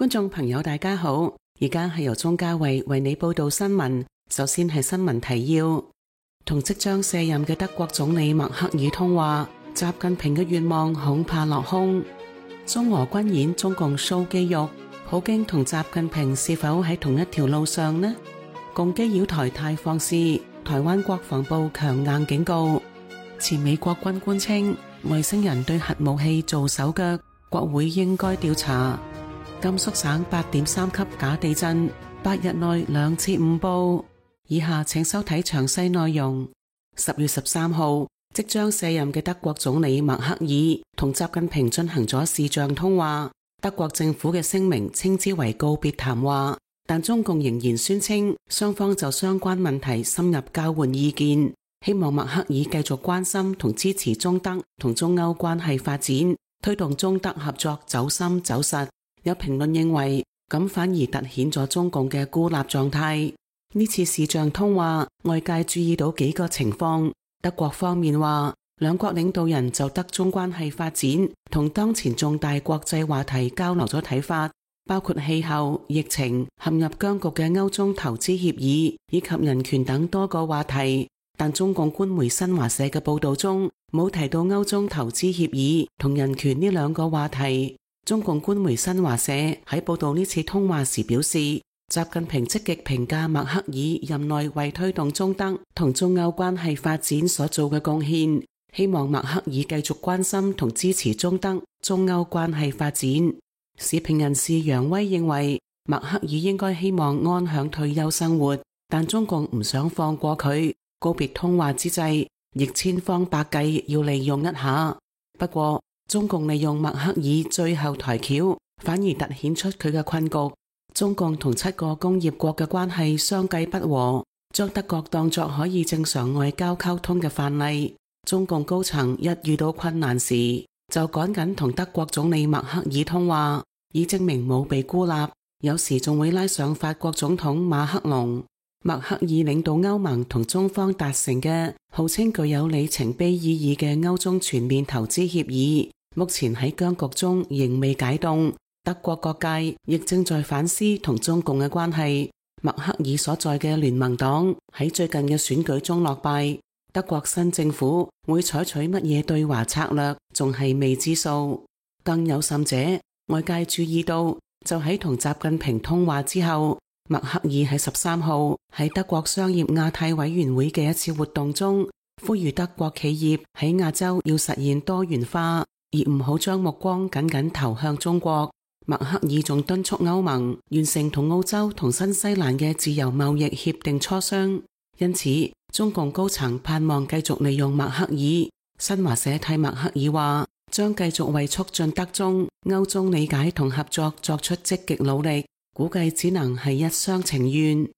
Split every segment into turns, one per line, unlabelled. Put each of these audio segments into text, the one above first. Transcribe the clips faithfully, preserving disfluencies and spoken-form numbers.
觀眾朋友大家好，而家係由鍾嘉慧為你報道新聞。首先係新聞提要：同即將卸任嘅德國總理默克爾通話，習近平嘅願望恐怕落空。中俄軍演，中共 show 肌肉，普京同習近平是否喺同一條路上呢？共機擾台太放肆，台灣國防部強硬警告。前美國軍官稱外星人對核武器做手腳，國會應該調查。甘肅省八點三級假地震，八日內兩次誤報。以下請收睇詳細內容。十月十三號，即將卸任嘅德國總理默克爾同習近平進行咗視像通話。德國政府嘅聲明稱之為告別談話，但中共仍然宣稱雙方就相關問題深入交換意見，希望默克爾繼續關心同支持中德同中歐關係發展，推動中德合作走深走實。有評論認為，咁反而凸顯咗中共嘅孤立狀態。呢次視像通話，外界注意到幾個情況。德國方面話，兩國領導人就德中關係發展同當前重大國際話題交流咗睇法，包括氣候、疫情、陷入僵局嘅歐中投資協議以及人權等多個話題。但中共官媒新華社嘅報道中冇提到歐中投資協議同人權呢兩個話題。中共官媒新華社喺報道呢次通話時表示，習近平積極評價默克爾任內為推動中德同中歐關係發展所做嘅貢獻，希望默克爾繼續關心同支持中德、中歐關係發展。時評人士楊威認為，默克爾應該希望安享退休生活，但中共唔想放過佢。告別通話之際，亦千方百計要利用一下。不過，中共利用默克爾最後台橋，反而凸顯出佢嘅困局。中共同七個工業國嘅關係相繼不和，將德國當作可以正常外交溝通嘅範例。中共高層一遇到困難時，就趕緊同德國總理默克爾通話，以證明冇被孤立。有時仲會拉上法國總統馬克龍。默克爾領導歐盟同中方達成嘅號稱具有里程碑意義嘅歐中全面投資協議，目前喺僵局中仍未解凍。德國各界亦正在反思同中共嘅關係。默克爾所在嘅聯盟黨喺最近嘅選舉中落敗，德國新政府會採取乜嘢對華策略，仲係未知數。更有甚者，外界注意到，就喺同習近平通話之後，默克爾喺十三號喺德國商業亞太委員會嘅一次活動中，呼籲德國企業喺亞洲要實現多元化，而唔好將目光緊緊投向中國。默克爾仲敦促歐盟完成同澳洲同新西蘭嘅自由貿易協定磋商。因此，中共高層盼望繼續利用默克爾。新華社替默克爾話，將繼續為促進德中、歐中理解同合作作出積極努力，估計只能係一廂情願。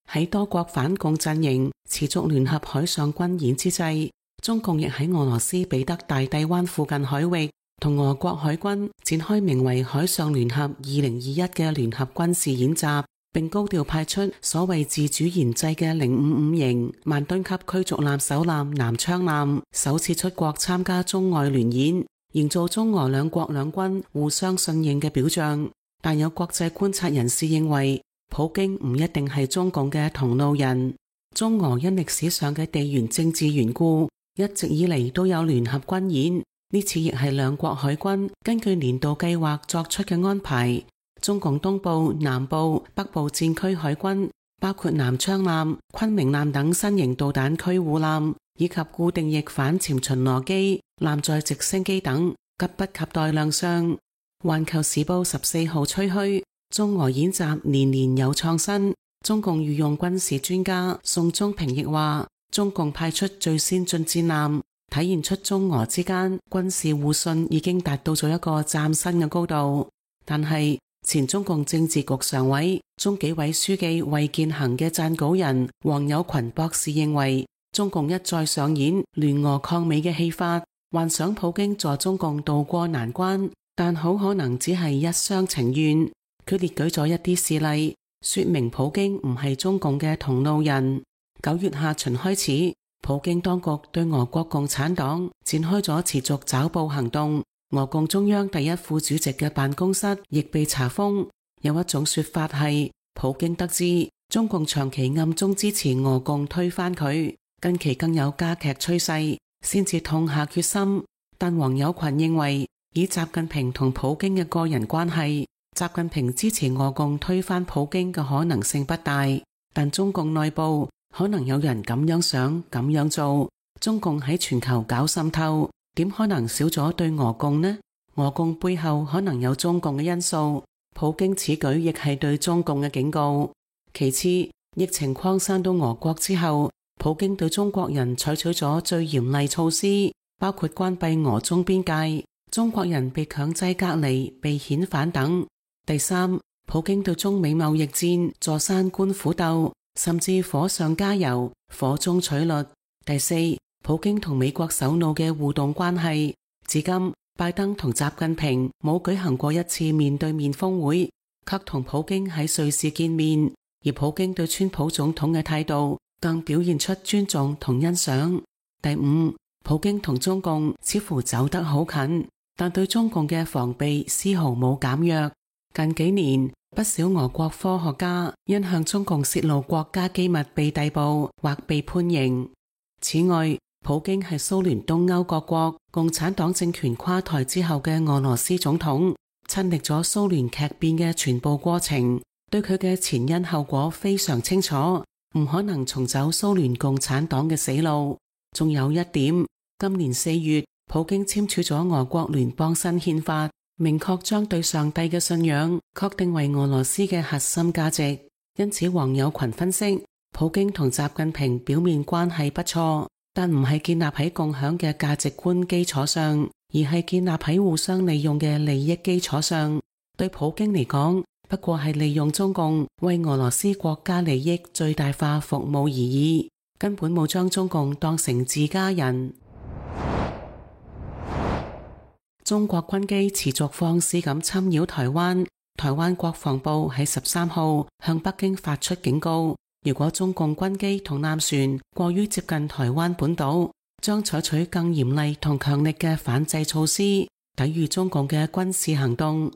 喺多國反共陣營持續聯合海上軍演之際，中共亦喺俄羅斯彼得大帝灣附近海域同俄國海軍展開名為海上聯合二零二一嘅聯合軍事演習，並高調派出所謂自主研製嘅零五五型萬噸級驅逐艦首艦南昌艦首次出國參加中外聯演，營造中俄兩國兩軍互相信任嘅表象。但有國際觀察人士認為，普京唔一定係中共嘅同路人。中俄因歷史上嘅地緣政治緣故，一直以嚟都有聯合軍演，呢次亦係兩國海軍根據年度計劃作出嘅安排。中共東部、南部、北部戰區海軍包括南昌艦、昆明艦等新型導彈驅護艦，以及固定翼反潛巡邏機、艦載直升機等，急不及待亮相。環球時報十四號吹噓，中俄演習年年有創新。中共御用軍事專家宋忠平亦話，中共派出最先進戰艦，體現出中俄之間軍事互信已經達到咗一個嶄新嘅高度。但係前中共政治局常委、中紀委書記衛健行嘅撰稿人黃友群博士認為，中共一再上演聯俄抗美嘅戲法，幻想普京助中共渡過難關，但好可能只係一廂情願。佢列舉咗一啲事例，說明普京唔係中共嘅同路人。九月下旬開始，普京當局對俄國共產黨展開咗持續抓捕行動，俄共中央第一副主席嘅辦公室亦被查封。有一種說法係，普京得知中共長期暗中支持俄共推翻佢，近期更有加劇趨勢，先至痛下決心。但黃友群認為，以習近平同普京嘅個人關係，習近平支持俄共推翻普京嘅可能性不大。但中共內部可能有人咁樣想，咁樣做。中共喺全球搞滲透，點可能少咗對俄共呢？俄共背後可能有中共嘅因素。普京此舉亦係對中共嘅警告。其次，疫情擴散到俄國之後，普京對中國人採取咗最嚴厲措施，包括關閉俄中邊界，中國人被強制隔離、被遣返等。第三，普京對中美貿易戰坐山觀虎鬥，甚至火上加油、火中取栗。第四，普京同美國首腦嘅互動關係，至今拜登同習近平冇舉行過一次面對面峰會，卻同普京喺瑞士見面，而普京對川普總統嘅態度更表現出尊重同欣賞。第五，普京同中共似乎走得好近，但對中共嘅防備絲毫冇減弱。近幾年，不少俄國科學家因向中共泄露國家機密被逮捕或被判刑。此外，普京係蘇聯東歐各國共產黨政權垮台之後嘅俄羅斯總統，親歷咗蘇聯劇變嘅全部過程，對佢嘅前因後果非常清楚，唔可能重走蘇聯共產黨嘅死路。仲有一點，今年四月，普京簽署咗俄國聯邦新憲法，明確將對上帝嘅信仰確定為俄羅斯嘅核心價值。因此，黃友群分析，普京同習近平表面關係不錯，但唔係建立喺共享嘅價值觀基礎上，而係建立喺互相利用嘅利益基礎上。對普京嚟講，不過係利用中共為俄羅斯國家利益最大化服務而已，根本冇將中共當成自家人。中國軍機持續放肆咁侵擾台灣，台灣國防部喺十三號向北京發出警告，如果中共軍機同艦船過於接近台灣本島，將採取更嚴厲同強力嘅反制措施，抵禦中共嘅軍事行動。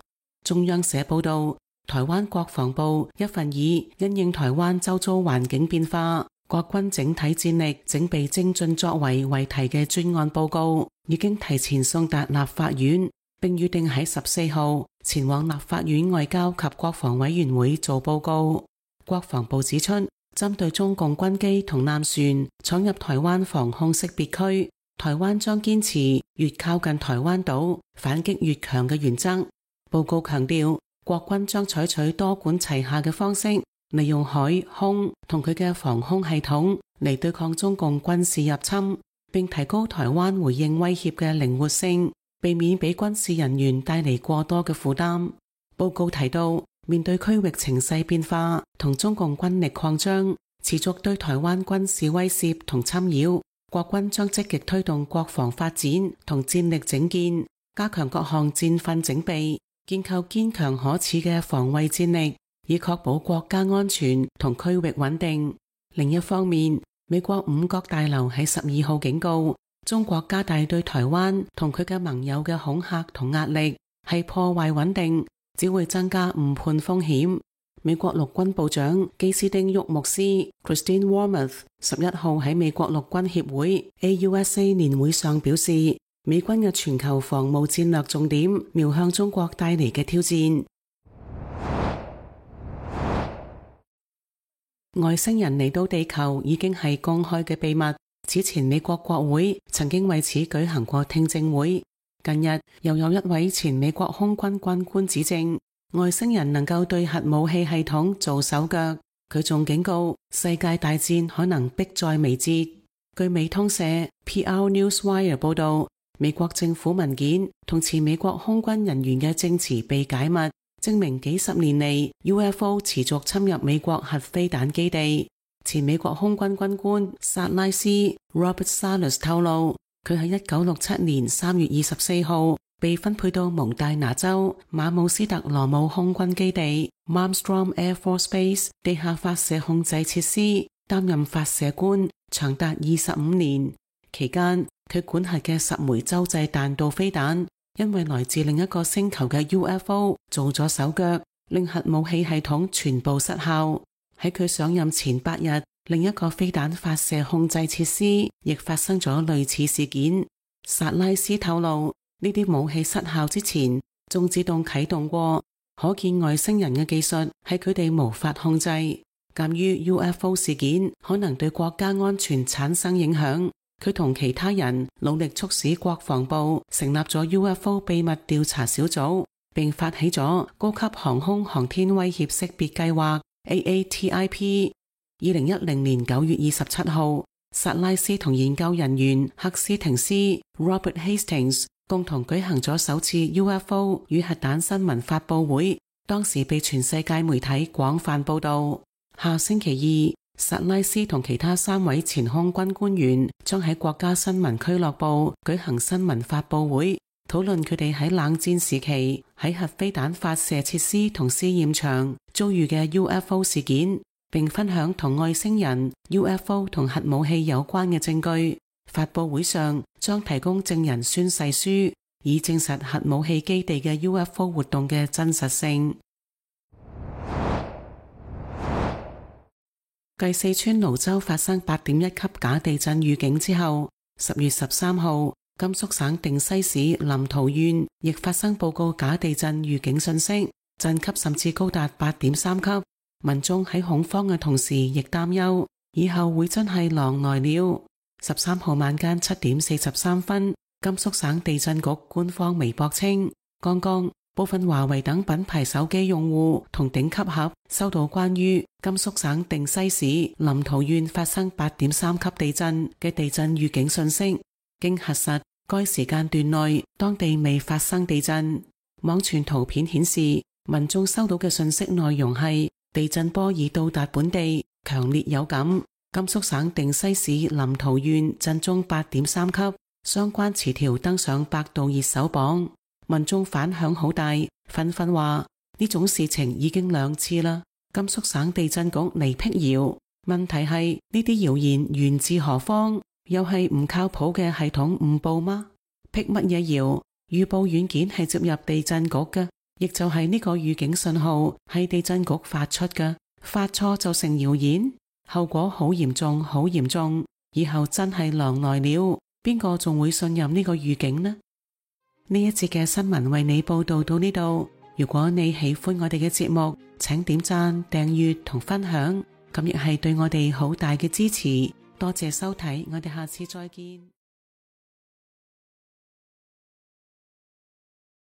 中央社報道，台灣國防部一份以因應台灣周遭環境變化，國軍整體戰力整備精進作為為題嘅專案報告，已經提前送達立法院，並預定喺十四號前往立法院外交及國防委員會做報告。國防部指出，針對中共軍機同艦船闖入台灣防空識別區，台灣將堅持越靠近台灣島反擊越強嘅原則。報告強調，國軍將採取多管齊下嘅方式，利用海空同佢嘅防空系統嚟對抗中共軍事入侵，並提高台灣回應威脅嘅靈活性，避免俾軍事人員帶嚟過多嘅負擔。報告提到，面對區域情勢變化同中共軍力擴張，持續對台灣軍事威懾同侵擾，國軍將積極推動國防發展同戰力整建，加強各項戰訓整備，建構堅強可恃嘅防衛戰力，以確保國家安全同區域穩定。另一方面，美國五角大樓喺十二號警告，中國加大對台灣同佢嘅盟友嘅恐嚇同壓力，係破壞穩定，只會增加誤判風險。美國陸軍部長基斯丁沃牧斯 Christine Wormuth 十一號喺美國陸軍協會 A U S A 年會上表示，美軍嘅全球防務戰略重點瞄向中國帶嚟嘅挑戰。外星人嚟到地球已經係公開嘅秘密，此前美國國會曾經為此舉行過聽證會。近日又有一位前美國空軍軍官指證外星人能夠對核武器系統做手腳，佢仲警告世界大戰可能迫在眉睫。據美通社 P R Newswire 報道，美國政府文件同前美國空軍人員嘅證詞被解密，證明幾十年嚟 U F O 持續侵入美國核飛彈基地。前美國空軍軍官薩拉斯 Robert Salas 透露，佢喺一九六七年三月二十四號被分配到蒙大拿州馬姆斯特羅姆空軍基地 Malmstrom Air Force Base 地下發射控制設施，擔任發射官，長達二十五年。期間，佢管轄嘅十枚洲際彈道飛彈因為來自另一個星球嘅 U F O 做咗手腳，令核武器系統全部失效。喺佢上任前八日，另一個飛彈發射控制設施亦發生咗類似事件。薩拉斯透露，呢啲武器失效之前仲自動啟動過，可見外星人嘅技術係佢哋無法控制。鑒於 U F O 事件可能對國家安全產生影響，佢同其他人努力促使國防部成立咗 U F O 秘密調查小組，並發起咗高級航空航天威脅識別計劃 A A T I P。二零一零年九月二十七號，薩拉斯同研究人員赫斯廷斯 Robert Hastings 共同舉行咗首次 U F O 與核彈新聞發佈會，當時被全世界媒體廣泛報道。下星期二，薩拉斯同其他三位前空軍官員將喺國家新聞俱樂部舉行新聞發佈會，討論佢哋喺冷戰時期喺核飛彈發射設施同試驗場遭遇嘅 U F O 事件，並分享同外星人、U F O 同核武器有關嘅證據。發佈會上將提供證人宣誓書，以證實核武器基地嘅 U F O 活動嘅真實性。繼四川瀘州發生八點一級假地震預警之後，十月十三號，甘肅省定西市臨洮縣亦發生報告假地震預警信息，震級甚至高達八點三級。民眾喺恐慌嘅同時，亦擔憂以後會真係狼來了。十三號晚間七點四十三分，甘肅省地震局官方微博稱，剛剛部分華為等品牌手機用戶同頂級盒收到關於甘肅省定西市臨洮縣發生八點三級地震嘅地震預警信息。經核實，該時間段內當地未發生地震。網傳圖片顯示，民眾收到嘅信息內容係地震波已到達本地，強烈有感。甘肅省定西市臨洮縣震中八點三級，相關詞條登上百度熱搜榜。民眾反響好大，紛紛話呢種事情已經兩次啦。甘肅省地震局嚟闢謠，問題係呢啲謠言源自何方？又係唔靠譜嘅系統誤報嗎？闢乜嘢謠？預報軟件係接入地震局嘅，亦就係呢個預警信號係地震局發出嘅，發錯就成謠言，後果好嚴重，好嚴重。以後真係狼來了，邊個仲會信任呢個預警呢？呢一節嘅新聞為你報道到呢度。如果你喜歡我哋嘅節目，請點讚、訂閱同分享，咁亦係對我哋好大嘅支持。多謝收睇，我哋下次再見。